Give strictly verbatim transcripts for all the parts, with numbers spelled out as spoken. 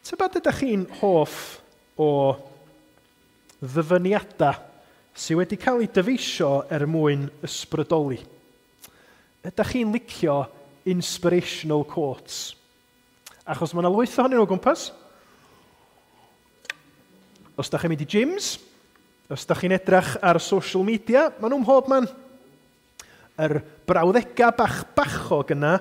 Tybed ydych chi'n hoff o ddyfyniadau sydd wedi cael eu dyfeisio er mwyn ysbrydoli? Ydych chi'n licio inspirational quotes? Achos mae yna lwyth ohonyn nhw o gwmpas. Os ydych chi'n mynd i gyms, os ydych chi'n edrych ar social media, maen nhw'n mhob man. Yr brawddegau bach bachog yna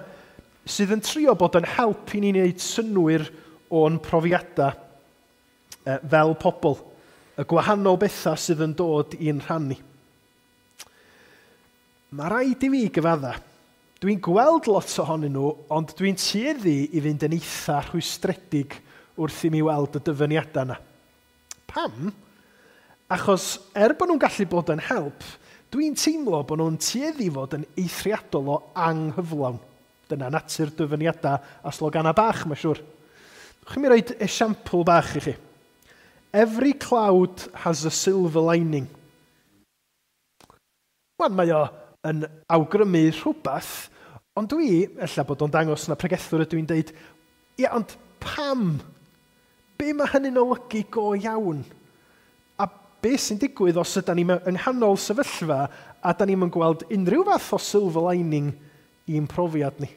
sydd yn trio bod yn help i ni wneud synnwyr o'n profiadau fel pobl, y gwahanol bethau sydd yn dod i'n rhannu. Mae rhaid i fi gyfadda. Dwi'n gweld lot ohonyn nhw, ond dwi'n tueddu i fynd yn eitha rhwystredig wrth i mi weld y dyfyniadau yna. Pam? Achos er bod nhw'n gallu bod yn help, dwi'n teimlo bod nhw'n tueddu fod yn eithriadol o anghyflawn. Dyna natur dyfyniadau a sloganau bach, mae'n siŵr. Chi'n mi roed esiampl bach i chi. Every cloud has a silver lining. Wan, mae o yn awgrymu rhywbeth, ond dwi, ella bod o'n dangos na pregethwr ydw i'n deud, ia, ond pam? Be mae hynny'n olygu go iawn? A be sy'n digwydd os ydy ni yng nghanol sefyllfa a da ni'n gweld unrhyw fath o silver lining i'n profiad ni?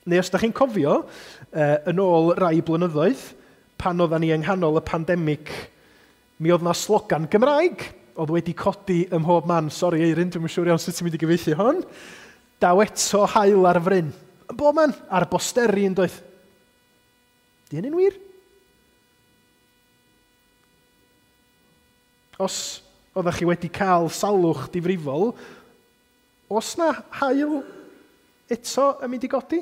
Neu os da chi'n cofio, yn ôl rai blynyddoedd, pan oedden ni yng nghanol y pandemig, mi oedd na slogan Gymraeg oedd wedi codi ym mhob man. Sori Eirin, dwi'm yn siŵr iawn sut ti'n mynd i gyfieithu hon. Daw eto haul ar fryn. Yn bob man, ar bosteri yn doedd. Di hynny'n wir? Os oeddech chi wedi cael salwch difrifol, os na haul eto yn mynd i godi?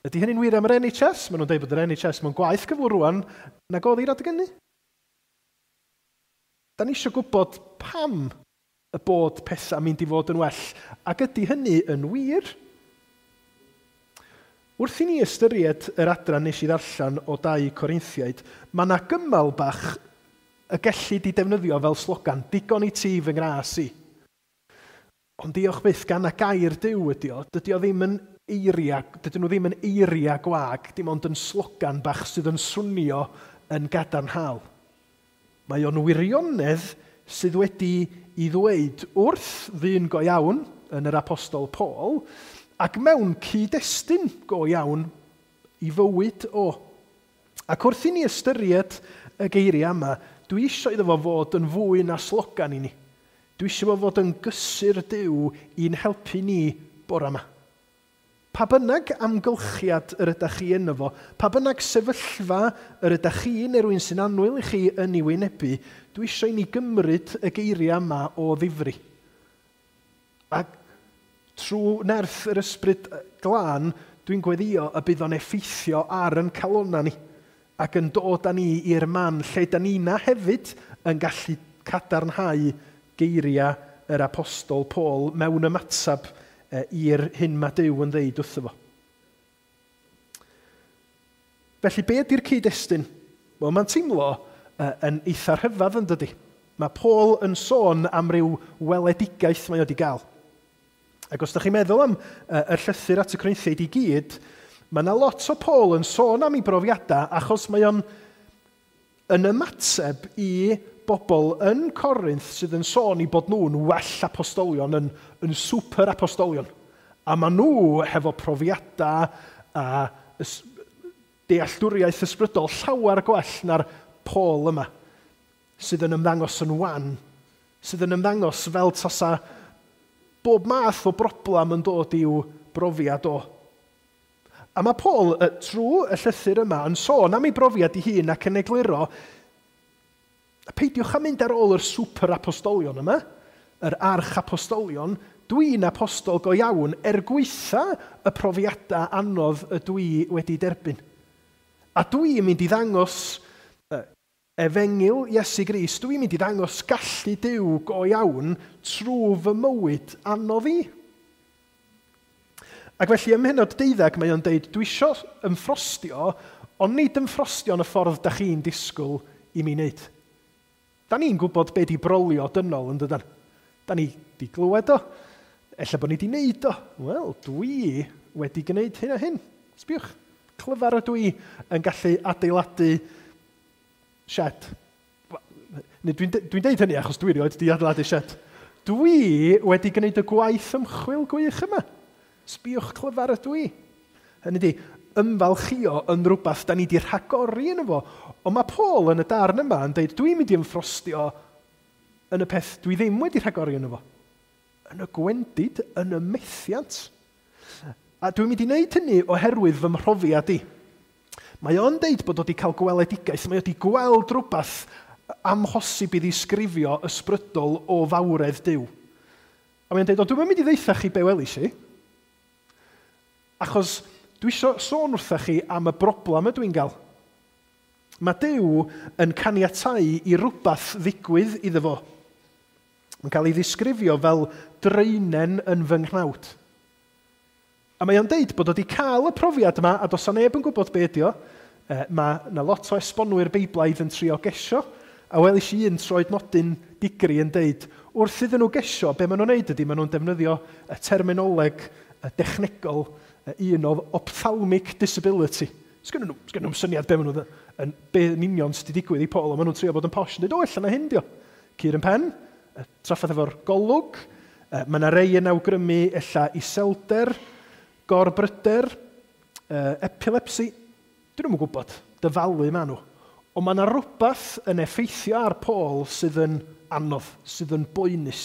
Ydy hynny'n wir am yr N H S? Maen nhw'n dweud bod yr N H S mewn gwaith cyflwr rwan nag oedd hi'r adeg hynny. Da ni eisiau gwybod pam y bod pethau mynd i fod yn well, ac ydy hynny yn wir? Wrth i ni ystyried yr adran nes i ddarllen o dau Corinthiaid, mae yna gymal bach y gellid i defnyddio fel slogan, digon i ti fy ngras i. Ond diolch byth gan y gair Duw ydy o, dydy o ddim yn eiriau, dydyn nhw ddim yn eiriau gwag, dim ond yn slogan bach sydd yn swnio yn gadarnhaol. Mae o'n wirionedd sydd wedi i ddweud wrth ddyn go iawn yn yr Apostol Paul, ac mewn cyd-destun go iawn i fywyd o. Ac wrth i ni ystyried y geiriau yma, dwi eisiau iddo fo fod yn fwy na slogan i ni. Dwi eisiau fo fod yn gysur Duw i'n helpu ni bore yma. Pa bynnag amgylchiad yr ydych chi yno fo, pa bynnag sefyllfa yr ydych chi neu rhywun sy'n annwyl i chi yn ei wynebu, dwi eisiau i ni gymryd y geiriau yma o ddifri. Ac trwy nerth yr ysbryd glân, dwi'n gweddio y bydd o'n effeithio ar yn calonna ni ac yn dod â ni i'r man lle da ni na hefyd yn gallu cadarnhau geiriau yr Apostol Paul mewn ymateb i'r hyn mae Duw yn ddeud wrtho fo. Felly, be ydy'r cyd-destun? Wel, mae'n teimlo yn eitha rhyfedd yn dydy. Mae Paul yn sôn am ryw weledigaeth mae o wedi gael. Ac os ydych chi'n meddwl am y llythyr at y Corinthiaid i gyd, mae yna lot o Paul yn sôn am ei brofiadau achos mae o'n yn ymateb i bobl yn Corinth sydd yn sôn i bod nhw'n well apostolion, yn, yn super apostolion. A maen nhw hefo profiadau a dealltwriaeth ysbrydol llawer gwell na'r Paul yma, sydd yn ymddangos yn wan, sydd yn ymddangos fel tasa bob math o broblem yn dod i'w brofiad o. A mae Paul, trwy y llythyr yma, yn sôn am ei brofiad ei hun ac yn egluro, peidiwch â mynd ar ôl yr super apostolion yma, yr arch apostolion, dwi'n apostol go iawn er gwaetha y profiadau anodd y dwi wedi derbyn. A dwi'n mynd i ddangos efengyl Iesu Grist, dwi'n mynd i ddangos gallu Duw go iawn trwy fy mywyd anodd i. Ac felly ym mhennod deuddeg mae o'n deud, dwi isio ymffrostio, ond nid ymffrostio yn y ffordd da chi'n disgwyl i mi wneud. Da ni'n gwybod be di brolio dynol yn dydan. Da ni di glywed o, ella bod ni di wneud o. Wel, dwi wedi gwneud hyn a hyn. Sbiwch. Clyfar ydw i yn gallu adeiladu shed. Dwi'n dwi deud hynny achos dwi erioed di adeiladu shed. Dwi wedi gwneud y gwaith ymchwil gwych yma. Sbïwch clyfar ydw i. Hynny di, ymfalchio yn rhywbeth da ni di rhagori yn efo. Ond mae Paul yn y darn yma yn deud, dwi'n mynd i ymffrostio yn y peth dwi ddim wedi rhagori yn efo. Yn y gwendid, yn y methiant. A dwi'n mynd i wneud hynny oherwydd fy mhrofiad i. Mae o'n deud bod o wedi cael gweledigaeth, mae o wedi gweld rhywbeth amhosib i ddisgrifio ysbrydol o fawredd Duw. A mae'n deud, o, dwi'n mynd i ddeutha chi be welis i, achos dwi eisiau sôn wrtha chi am y broblem ydw i'n gael. Mae Duw yn caniatáu i rywbeth ddigwydd iddo fo. Mae'n cael ei ddisgrifio fel draenen yn fy nghnawd. A mae o'n deud bod o wedi cael y profiad yma, a does 'na neb yn gwybod be ydi o. E, mae yna lot o esbonwyr Beiblaidd yn trio gesio, a welis i un troednodyn digri yn deud, wrth iddyn nhw gesio, be maen nhw'n neud ydy, maen nhw'n defnyddio y terminoleg y dechnegol, un o ophthalmic disability. Sgynnon nhw, sgynnon nhw'm syniad be maen nhw, yn, be yn union sydd wedi digwydd i Paul, ond maen nhw'n trio bod yn posh yn dweud, o, ella na hyn dio. Cur yn pen, trafferth efo'r golwg, mae yna rei yn awgrymu ella iselder, gorbryder, epilepsi. Dyn nhw'm yn gwybod, dyfalu maen nhw. Ond mae yna rhywbeth yn effeithio ar Paul sydd yn anodd, sydd yn boenus,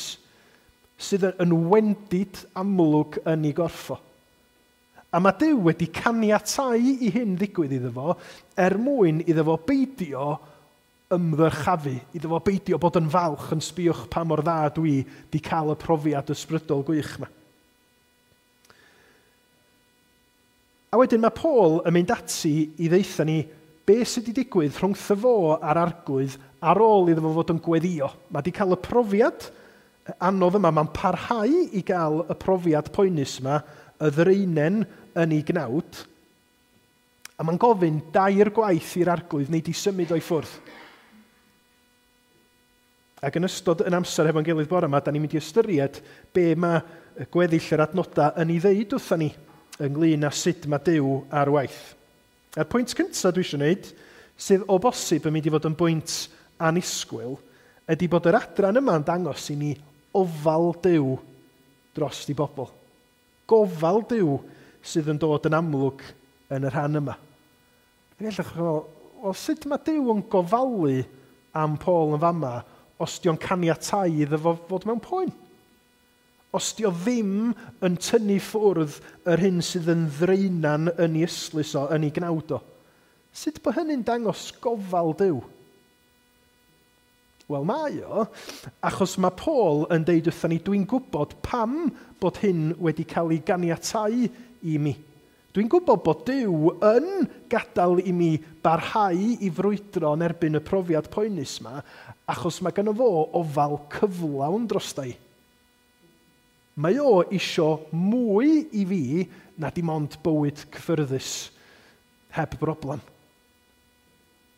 sydd yn wendid amlwg yn ei gorffo. A mae Duw wedi caniatáu i hyn ddigwydd iddo fo, er mwyn iddo fo beidio ymddyrchafu, iddo fo beidio bod yn falch yn sbïwch pa mor dda dwi di cael y profiad ysbrydol gwych yma. A wedyn mae Paul yn mynd ati i ddeutha ni be sydd wedi digwydd rhwngtho fo a'r arglwydd ar ôl iddo fo fod yn gweddio. Mae wedi cael y profiad anodd yma, mae'n parhau i gael y profiad poenus yma, y ddraenen yn ei gnawd, a mae'n gofyn dair gwaith i'r arglwydd neu di symud o'i ffwrdd. Ac yn ystod yn amser hefo'n gilydd bore yma, da ni'n mynd i ystyried be mae gweddill yr adnodau yn ei ddeud wrtha ni ynglyn â sut mae Duw ar waith. A'r pwynt cyntaf dwi eisiau gwneud, sydd o bosib yn mynd i fod yn bwynt annisgwyl, ydy bod yr adran yma'n dangos i ni ofal Duw dros i bobl. Gofal Duw sydd yn dod yn amlwg yn y rhan yma. Ac ella chi'n meddwl, wel, sut mae Duw yn gofalu am Paul yn fama os di o'n caniatáu iddo fo fod mewn poen? Os di o ddim yn tynnu ffwrdd yr hyn sydd yn ddraenan yn ei ystlys o, yn ei gnawd o. Sut bod hynny'n dangos gofal Duw? Wel, mae o, achos mae Paul yn deud wrthon ni, dwi'n gwybod pam bod hyn wedi cael ei ganiatáu i mi. Dwi'n gwybod bod Duw yn gadael i mi barhau i frwydro yn erbyn y profiad poenus yma, achos mae gynno fo ofal cyflawn drosta i. Mae o isio mwy i fi na dim ond bywyd cyffyrddus heb broblem.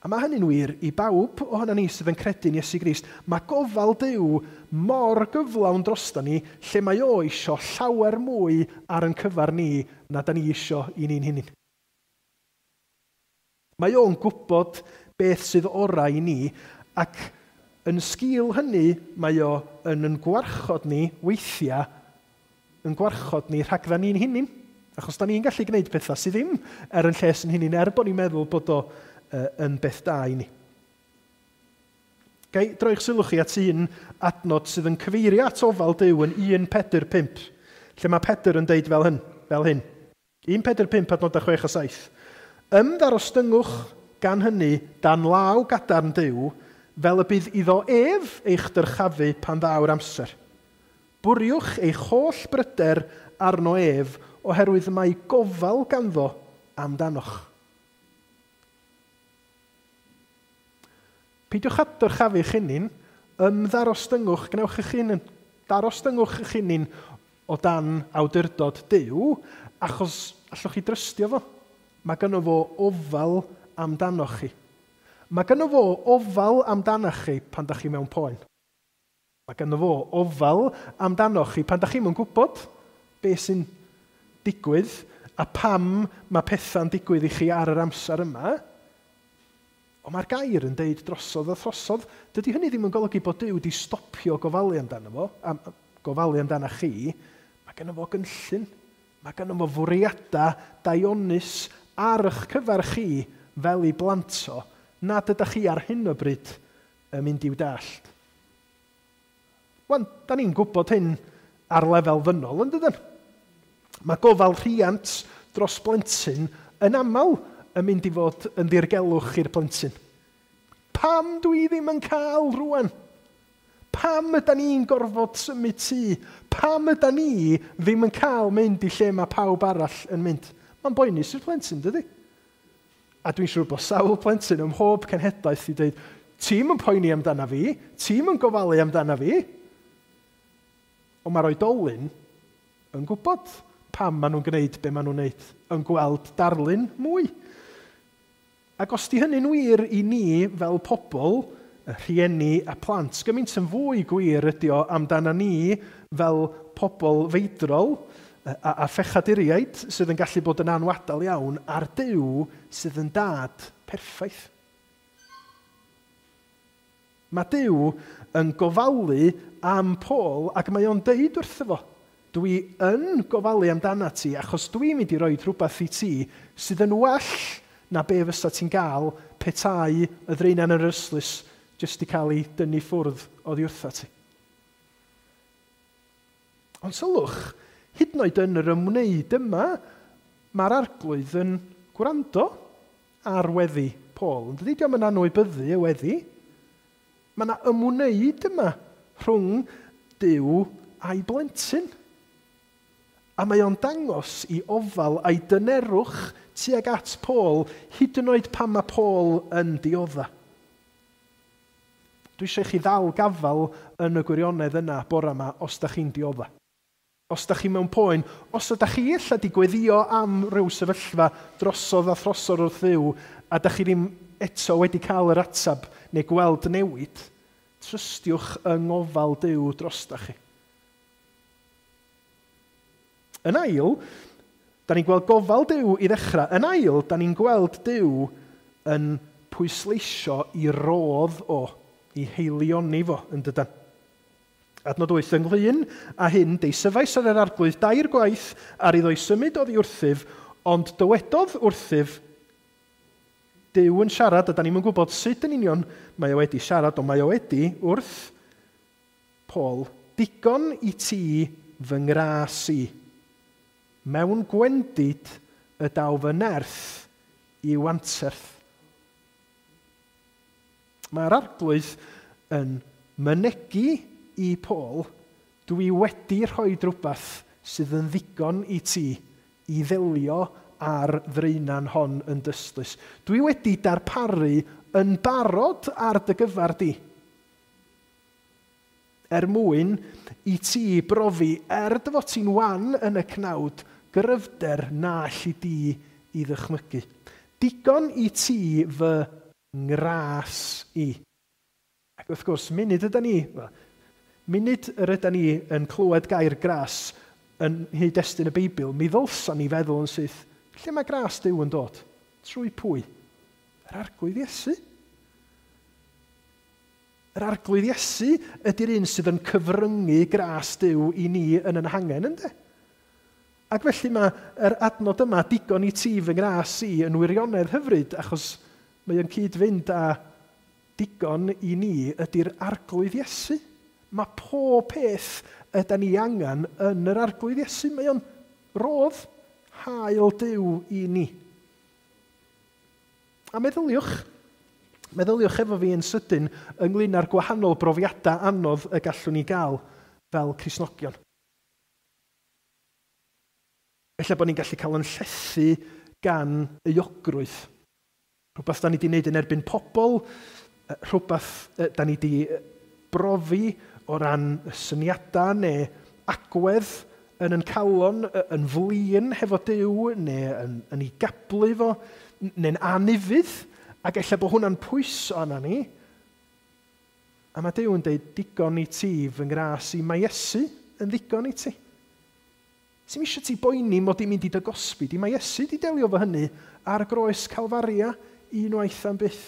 A mae hynny'n wir i bawb ohono ni sydd yn credu'n Iesu Grist. Mae gofal Duw mor gyflawn drosta ni, lle mae o isio llawer mwy ar yn cyfar ni na da ni isio i ni'n hunain. Mae o'n gwybod beth sydd orau i ni, ac yn sgil hynny mae o yn yn gwarchod ni weithiau, yn gwarchod ni rhagdda ni'n hunain. Achos da ni'n gallu gwneud pethau sydd ddim er yn lles yn hunain, er bod ni'n meddwl bod o yn beth da i ni. Gai droi'ch sylw chi at un adnod sydd yn cyfeirio at ofal Duw yn un Pedr pump, lle mae Pedr yn deud fel hyn, fel hyn. un Pedr pump adnodau chwech a saith. Ymddarostyngwch gan hynny dan law gadarn Duw, fel y bydd iddo ef eich dyrchafu pan ddaw'r amser. Bwriwch eich holl bryder arno ef, oherwydd mae gofal ganddo amdanoch. Peidiwch â dyrchafu eich hunain, ymddarostyngwch, gwnewch eich hunain, darostyngwch eich hunain o dan awdurdod Duw, achos allwch chi drystio fo. Mae gynno fo ofal amdanoch chi. Mae gynno fo ofal amdanoch chi pan dach chi mewn poen. Mae gynno fo ofal amdanoch chi pan dach chi'm yn gwybod beth sy'n digwydd a pam mae pethau'n digwydd i chi ar yr amser yma. Ond mae'r gair yn deud drosodd a throsodd. Dydy hynny ddim yn golygu bod Duw wedi stopio gofalu amdano fo, am, gofalu amdano chi. Mae gynno fo gynllun. Mae gynno fo fwriadau daionus ar eich cyfer chi fel ei blant o, nad ydych chi ar hyn o bryd yn mynd i'w dallt. Wan, da ni'n gwybod hyn ar lefel ddynol, yn dydyn? Mae gofal rhiant dros blentyn yn aml yn mynd i fod yn ddirgelwch i'r plentyn. Pam dwi ddim yn cael rwan? Pam yda ni'n gorfod symud tŷ? Pam yda ni ddim yn cael mynd i lle mae pawb arall yn mynd? Mae'n boenus i'r plentyn, dydy? A dwi'n siŵr bod sawl plentyn ym mhob cenhedlaeth i dweud, ti'n yn poeni amdana fi, ti'n yn gofalu amdana fi. Ond mae'r oedolyn yn gwybod pam maen nhw'n gwneud be maen nhw'n gwneud, yn gweld darlun mwy. Ac os di hynny'n wir i ni fel pobl, rhieni a plant, gymaint yn fwy gwir ydi o amdana ni fel pobl feidrol a, a phechaduriaid sydd yn gallu bod yn anwadal iawn ar Duw sydd yn dad perffaith. Mae Duw yn gofalu am Paul ac mae o'n deud wrtho fo, dwi yn gofalu amdana ti achos dwi'n mynd i roi rhywbeth i ti sydd yn well na be fysa ti'n gael petai y ddraenan yn yr ystlys jyst i cael ei dynnu ffwrdd oddi wrtha ti. Ond sylwch, hyd yn oed yn yr ymwneud yma, mae'r arglwydd yn gwrando ar weddi Paul. Yn dydy, dio'm yn anwybyddu y weddi. Mae yna ymwneud yma rhwng Duw a'i blentyn. A mae o'n dangos i ofal a'i dynerwch tuag at Paul, hyd yn oed pan mae Paul yn diodda. Dwi eisiau chi ddal gafal yn y gwirionedd yna bore yma os da chi'n diodda. Os da chi mewn poen, os ydych chi ella di gweddio am ryw sefyllfa drosodd a throsodd wrth Dduw, a da chi ddim eto wedi cael yr atab neu gweld newid, trystiwch yng ngofal Duw drosta chi. Yn ail, da ni'n gweld gofal Duw i ddechrau. Yn ail, da ni'n gweld Duw yn pwysleisio i rodd o, i heilioni fo, yn dydan. Adnod wyth, ynglyn â hyn, deisyfais ar yr arglwydd dair gwaith ar iddo i symud oddi wrthyf, ond dywedodd wrthyf, Duw yn siarad, a da ni'm yn gwybod sut yn union mae o wedi siarad, ond mae o wedi wrth Paul, digon i ti fy ngras i. Mewn gwendid y daw fy nerth i'w anterth. Mae'r arglwydd yn mynegi i Paul, dwi wedi rhoi rhywbeth sydd yn ddigon i ti i ddelio ar ddraenan hon yn dystlys. Dwi wedi darparu yn barod ar dy gyfer di, er mwyn i ti brofi, er dy fod ti'n wan yn y cnawd, gryfder na alli di i ddychmygu. Digon i ti fy ngras i. Ac wrth gwrs, munud yda ni, munud yr yda ni yn clywed gair gras yn nghyd-destun y Beibl, mi ddylsan ni feddwl yn syth, lle mae gras Duw yn dod? Trwy pwy? Yr Arglwydd Iesu. Yr Arglwydd Iesu ydy'r un sydd yn cyfryngu gras Duw i ni yn yn hangen, ynddo? Ac felly mae yr adnod yma, digon i ti fy ngras i, yn wirionedd hyfryd, achos mae o'n cyd-fynd â digon i ni ydy'r Arglwydd Iesu. Mae pob peth yda ni angen yn yr Arglwydd Iesu. Mae o'n rodd hael Duw i ni. A meddyliwch, meddyliwch efo fi yn sydyn ynglyn â'r gwahanol brofiadau anodd y gallwn ni gael fel Cristnogion. Ella bod ni'n gallu cael yn llethu gan euogrwydd. Rhywbeth da ni wedi wneud yn erbyn pobl, rhywbeth da ni wedi brofi o ran syniadau neu agwedd yn yn calon, yn flin hefo Duw, neu yn, yn ei gablu fo, neu'n anufudd, ac ella bod hwnna'n pwyso arna ni. A mae Duw yn dweud, digon i ti fy ngras i, mae Iesu yn ddigon i ti. Sy'm eisiau ti boeni mod i'n mynd i dy gosbi di. Mae Iesu di delio efo hynny ar groes Calfaria unwaith am byth.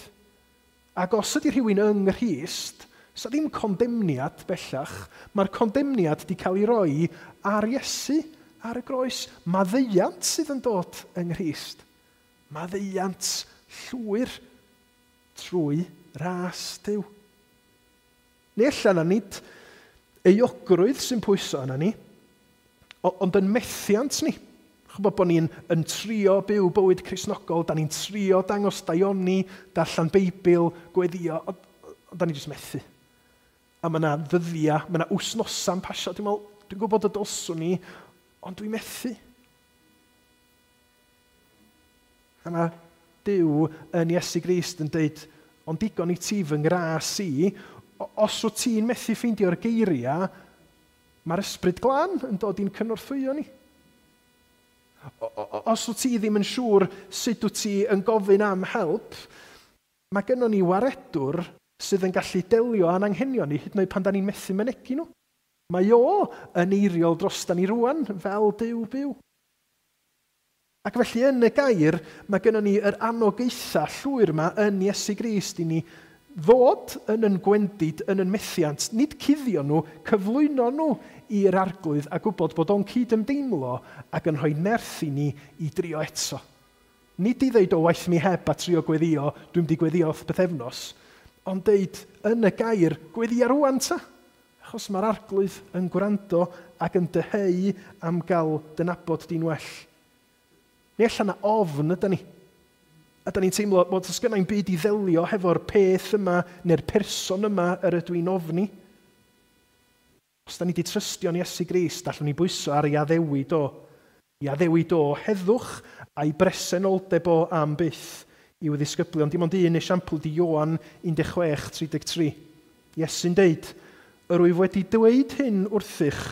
Ac os ydy rhywun yng Nghrist, sa ddim condemniad bellach. Mae'r condemniad di cael ei roi ar Iesu, ar y groes. Maddeuant sydd yn dod yng Nghrist. Maddeuant llwyr trwy ras Duw. Neu ella na nid euogrwydd sy'n pwyso yna ni, ond yn methiant ni. Chybod bod ni'n yn trio byw bywyd Cristnogol, da ni'n trio dangos daioni, darllen Beibl, gweddio, ond, ond da ni jyst methu. A mae yna ddyddiau, mae yna wsnosau'n pasio. Dwi'n meddwl, dwi'n gwybod y dylswn ni, ond dwi'n methu. A mae Duw yn Iesu Grist yn dweud, ond digon i ti fy ngras i, os wyt ti'n methu ffeindio'r geiriau, mae'r Ysbryd Glân yn dod i'n cynorthwyo ni. Os wyt ti ddim yn siŵr sut wyt ti yn gofyn am help, mae gynnon ni waredwr sydd yn gallu delio â'n anghenion ni, hyd yn oed pan da ni'n methu mynegi nhw. Mae o yn eiriol drosta ni rwan, fel Duw byw. Ac felly yn y gair, mae gynnon ni yr anogaetha llwyr yma yn Iesu Grist i ni ddod yn yn gwendid, yn yn methiant, nid cuddio nhw, cyflwyno nhw i'r Arglwydd a gwybod bod o'n cyd-ymdeimlo ac yn rhoi nerth i ni i drio eto. Nid i ddeud o waith mi heb a trio gweddio, dwi'n mynd i gweddio wrth bythefnos, ond deud yn y gair, gweddia rwan ta. Achos mae'r Arglwydd yn gwrando ac yn dyheu am gael dynabod di'n well. Neu allan na ofn ydy ni. A da ni'n teimlo bod os gynna i'm byd i ddelio hefo'r peth yma neu'r person yma yr ydw i'n ofni. Os da ni wedi trystio'n Iesu Grist, allwn ni bwyso ar ei addewid o. I addewid o heddwch a'i bresenoldeb o am byth i'w ddisgyblion. Dim ond un esiampl di Ioan un deg chwech tri deg tri. Iesu'n deud, yr wyf wedi dweud hyn wrthych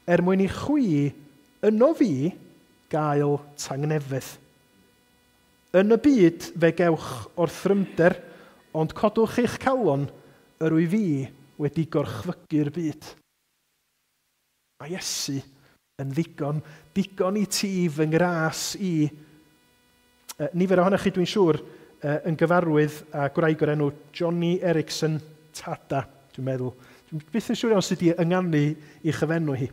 er mwyn i chwi yno fi gael tangnefedd. Yn y byd fe gewch orthrymder, ond codwch eich calon, yr wyf fi wedi gorchfygu'r byd. Mae Iesu yn ddigon, digon i ti fy ngras i. E, nifer ohonoch chi, dwi'n siŵr, e, yn gyfarwydd â gwraig o'r enw Joni Eareckson Tada, dwi'n meddwl. Dwi'n byth yn siŵr iawn sut i ynganu i chyfenw hi.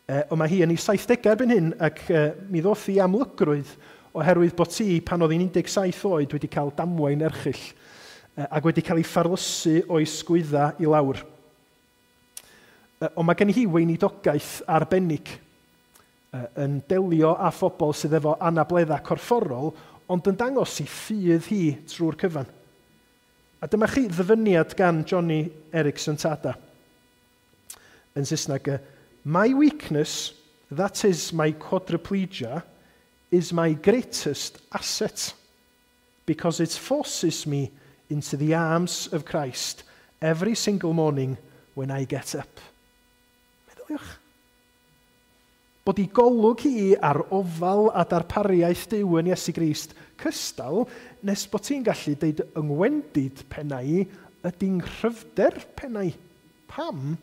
E, ond mae hi yn ei saithdegau erbyn hyn, ac e, mi ddoth hi amlygrwydd oherwydd bod ti, pan oedd hi'n un deg saith oed, wedi cael damwain erchyll ac wedi cael ei ffarlysu o'i sgwydda i lawr. Ond mae gen hi weinidogaeth arbennig yn delio â phobl sydd efo anableddau corfforol, ond yn dangos i ffydd hi trwy'r cyfan. A dyma chi ddyfyniad gan Joni Eareckson Tada. Yn Saesneg, my weakness, that is my quadriplegia, is my greatest asset, because it forces me into the arms of Christ every single morning when I get up. Meddyliwch. Bod i golwg hi ar ofal a darpariaeth Duw yn Iesu Grist cystal, nes bod ti'n gallu deud yngwendid pennau ydy'n nghryfder pennau. Pam?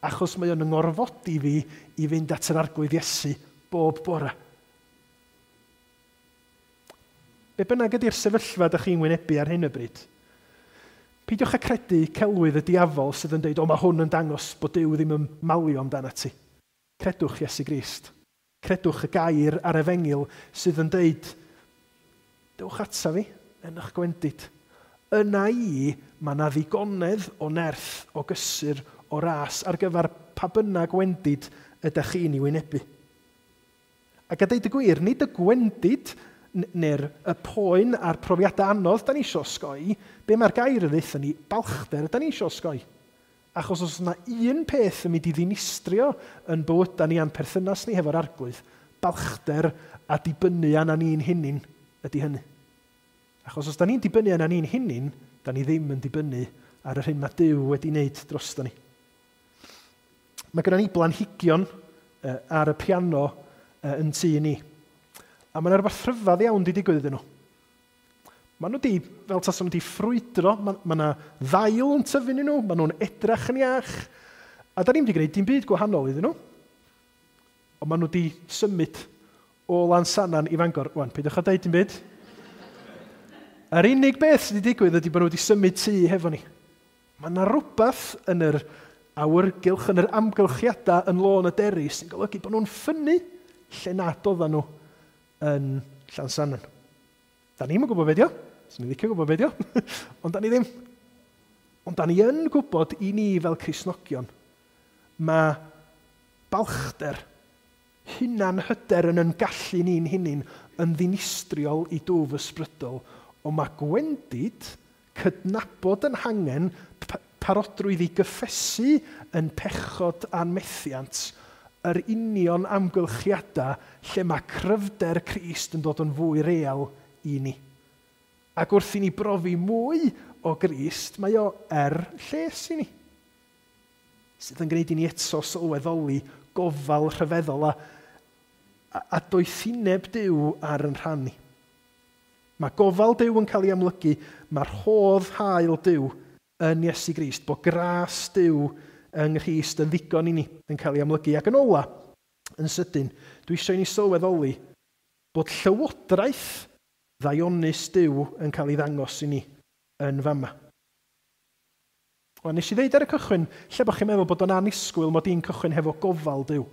Achos mae o'n ngorfodi fi i fynd at yr Arglwydd Iesu bob bore. Be bynnag ydy'r sefyllfa ydych chi'n wynebu ar hyn o bryd, peidiwch â credu celwydd y diafol sydd yn dweud, o mae hwn yn dangos bod Duw ddim yn malio amdano ti. Credwch Iesu Grist. Credwch y gair a'r efengyl sydd yn dweud, dewch ata fi yn eich gwendid. Yna i, mae yna ddigonedd o nerth, o gysur, o ras ar gyfer pa bynnag gwendid ydych chi'n ei wynebu. Ac a deud y gwir, nid y gwendid neu'r y poen a'r profiadau anodd da ni isio osgoi, be mae'r gair yn ddeutha ni, balchder da ni isio osgoi. Achos os yna un peth yn mynd i ddinistrio yn bywydau ni a'n perthynas ni hefo'r Arglwydd, balchder a dibynnu arna ni'n hunin ydy hynny. Achos os da ni'n dibynnu arna ni'n hunin, da ni ddim yn dibynnu ar yr hyn mae Duw wedi wneud drosto ni. Mae gennym ni blanhigion ar y piano yn tŷ ni. A mae yna rhywbeth rhyfedd iawn wedi digwydd iddyn nhw. Maen nhw wedi, fel tasen nhw wedi ffrwydro, mae yna ddail yn tyfu yn nhw, maen nhw'n edrach yn iach. A da ni'n wedi gwneud dim byd gwahanol iddyn nhw. Ond maen nhw wedi symud o Lansannan i Fangor. Wan, peidiwch â deud dim byd. Yr unig beth sydd wedi digwydd ydy bod nhw wedi symud tŷ hefo ni. Mae yna rhywbeth yn yr awyrgylch, yn yr amgylchiadau yn Lôn y Deri sy'n golygu bod nhw'n ffynnu lle nad oedden nhw yn Llansannan. Da ni'm yn gwybod be dio. Swn i'n licio gwybod be dio. Ond da ni ddim. Ond da ni yn gwybod i ni fel Cristnogion, mae balchder, hunan hyder yn yn gallu ni'n hunain yn ddinistriol i dwf ysbrydol, ond mae gwendid, cydnabod yn hangen, parodrwydd i gyffesu yn pechod a'n methiant, yr union amgylchiadau lle mae cryfder Crist yn dod yn fwy real i ni. Ac wrth i ni brofi mwy o Grist, mae o er lles i ni. Sydd yn gwneud i ni eto sylweddoli gofal rhyfeddol a, a, a doethineb Duw ar yn rhan ni. Mae gofal Duw yn cael ei amlygu, mae'r rhodd hael Duw yn Iesu Grist, bod gras Duw yng Nghrist yn ddigon i ni yn cael ei amlygu. Ac yn ola, yn sydyn, dwi eisiau i ni sylweddoli bod llywodraeth ddaionus Duw yn cael ei ddangos i ni yn fama. Wel, nes i ddeud ar y cychwyn, lle bod chi'n meddwl bod o'n annisgwyl mod i'n cychwyn hefo gofal Duw.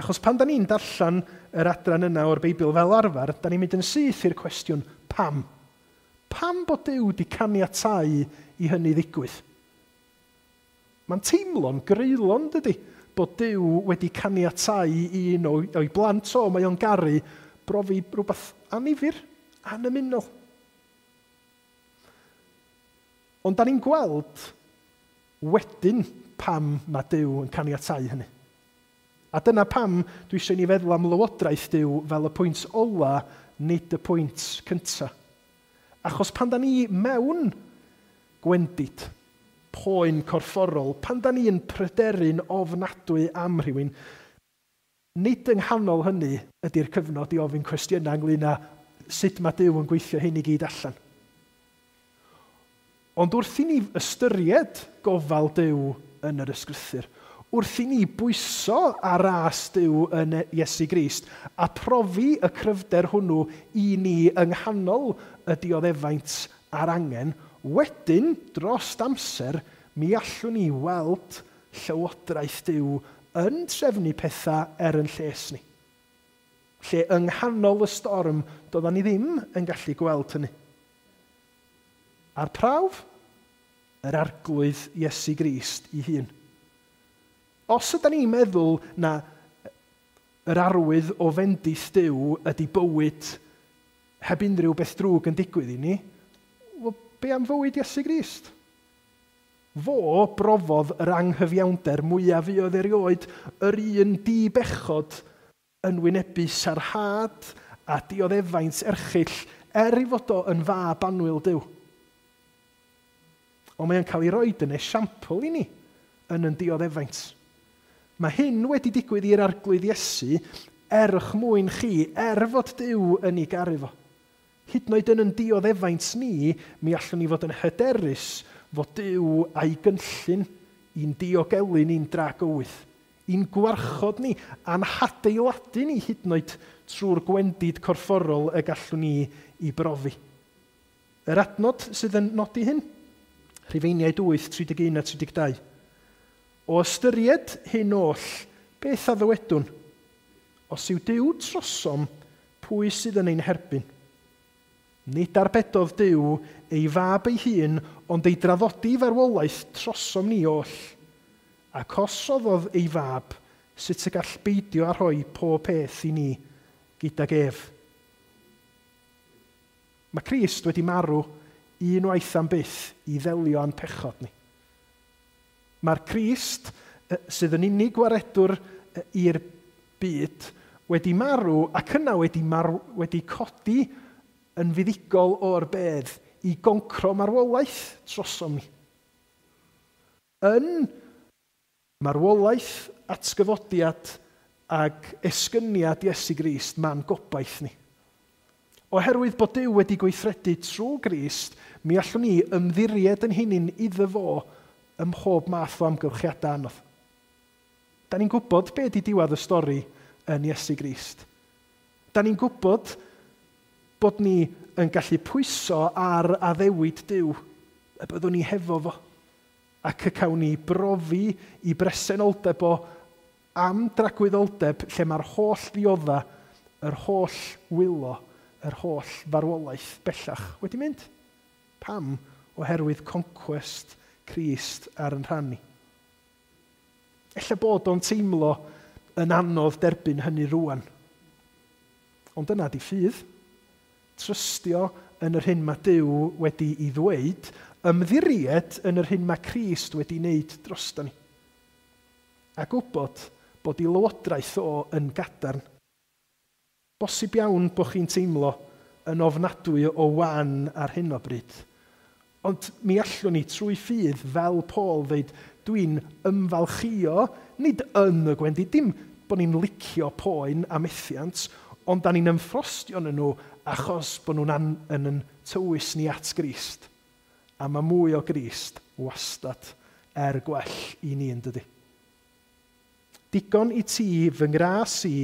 Achos pan da ni'n darllen yr adran yna o'r Beibl fel arfer, da ni'n mynd yn syth i'r cwestiwn pam? Pam bod Duw wedi caniatáu i hynny ddigwydd? Mae'n teimlo'n greulon, dydy, bod Duw wedi caniatáu i un o'i blant o, mae o'n garu, brofi rhywbeth annifyr, anymunol. Ond da ni'n gweld wedyn pam mae Duw yn caniatáu hynny. A dyna pam dwi eisiau ni feddwl am lywodraeth Duw fel y pwynt ola, nid y pwynt cyntaf. Achos pan da ni mewn gwendid, poen corfforol, pan da ni'n pryderu'n ofnadwy am rhywun, nid yng nghanol hynny ydy'r cyfnod i ofyn cwestiynau ynglyn â sut mae Duw yn gweithio hyn i gyd allan. Ond wrth i ni ystyried gofal Duw yn yr ysgrythur, wrth i ni bwyso ar ras Duw yn Iesu Grist a profi y cryfder hwnnw i ni yng nghanol y dioddefaint a'r angen, wedyn, dros amser, mi allwn ni weld llywodraeth Duw yn trefnu pethau er yn lles ni. Lle yng nghanol y storm, doeddan ni ddim yn gallu gweld hynny. A'r prawf? Yr Arglwydd Iesu Grist ei hun. Os ydyn ni'n meddwl na yr arwydd o fendith Duw ydy bywyd heb unrhyw beth drwg yn digwydd i ni, wel, be am fywyd Iesu Grist? Fo brofodd yr anghyfiawnder mwyaf fuodd erioed, yr un di-bechod yn wynebu sarhad a dioddefaint erchyll er ei fod o yn fab annwyl Duw. Ond mae'n cael ei roed yn esiampl i ni yn yn dioddefaint. Mae hyn wedi digwydd i'r Arglwydd Iesu er eich mwyn chi, er fod Duw yn ei garu fo. Hyd yn oed yn yn dioddefaint ni, mi allwn ni fod yn hyderus fod Duw a'i gynllun i'n diogelu ni'n dragywydd, i'n gwarchod ni, a'n hadeiladu ni hyd yn oed trwy'r gwendid corfforol y gallwn ni i brofi. Yr adnod sydd yn nodi hyn, Rhufeiniaid wyth, tri deg un a tri deg dau. O ystyried hyn oll, beth a ddywedwn? Os yw Duw trosom, pwy sydd yn ein herbyn? Nid arbedodd Duw ei fab ei hun, ond ei draddodi farwolaeth trosom ni oll. Ac os roddodd ei fab, sut y gall beidio â rhoi pob peth i ni gydag ef? Mae Crist wedi marw unwaith am byth i ddelio â'n pechod ni. Mae'r Crist, sydd yn unig waredwr i'r byd, wedi marw ac yna wedi, marw, wedi codi yn fuddugol o'r bedd i goncro marwolaeth trosom ni. Yn marwolaeth, atgyfodiad ac esgyniad Iesu Grist, ma'n gobaith ni. Oherwydd bod Duw wedi gweithredu trwy Grist, mi allwn ni ymddiried yn hunain iddo fo ym mhob math o amgylchiadau anodd. Da ni'n gwybod be ydy diwedd y stori yn Iesu Grist. Da ni'n gwybod bod ni yn gallu pwyso ar addewid Duw, y byddwn ni hefo fo, ac y cawn ni brofi i bresenoldeb o am dragwyddoldeb lle mae'r holl ddiodda, yr holl wylo, yr holl farwolaeth bellach wedi mynd. Pam? Oherwydd concwest Crist ar yn rhan ni. Ella bod o'n teimlo yn anodd derbyn hynny rwan. Ond dyna di ffydd. Trystio yn yr hyn mae Duw wedi ei ddweud, ymddiried yn yr hyn mae Crist wedi wneud drosto ni. A gwybod bod ei lywodraeth o yn gadarn. Bosib iawn bod chi'n teimlo yn ofnadwy o wan ar hyn o bryd. Ond mi allwn ni trwy ffydd fel Paul ddeud, dwi'n ymfalchio, nid yn y gwendid, dim bod ni'n licio poen a methiant, ond da ni'n ymffrostio yn nhw achos bod nhw'n an, yn, yn tywys ni at Grist. A mae mwy o Grist wastad er gwell i ni, yn dydy. Digon i ti fy ngras i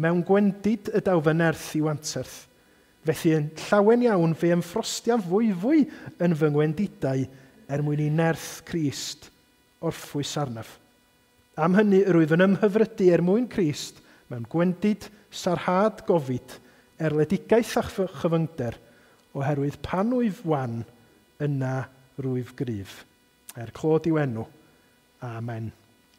mewn gwendid y daw fy nerth i wanterth. Felly yn llawen iawn fe ymffrostiaf fwyfwy yn fy ngwendidau er mwyn i nerth Crist orffwys arnaf. Am hynny yr wyf yn ymhyfrydu er mwyn Crist mewn gwendid, sarhad, gofid, erledigaeth a chyfyngder, oherwydd pan wyf wan, yna rwyf gryf. Er clod i'w enw. Amen.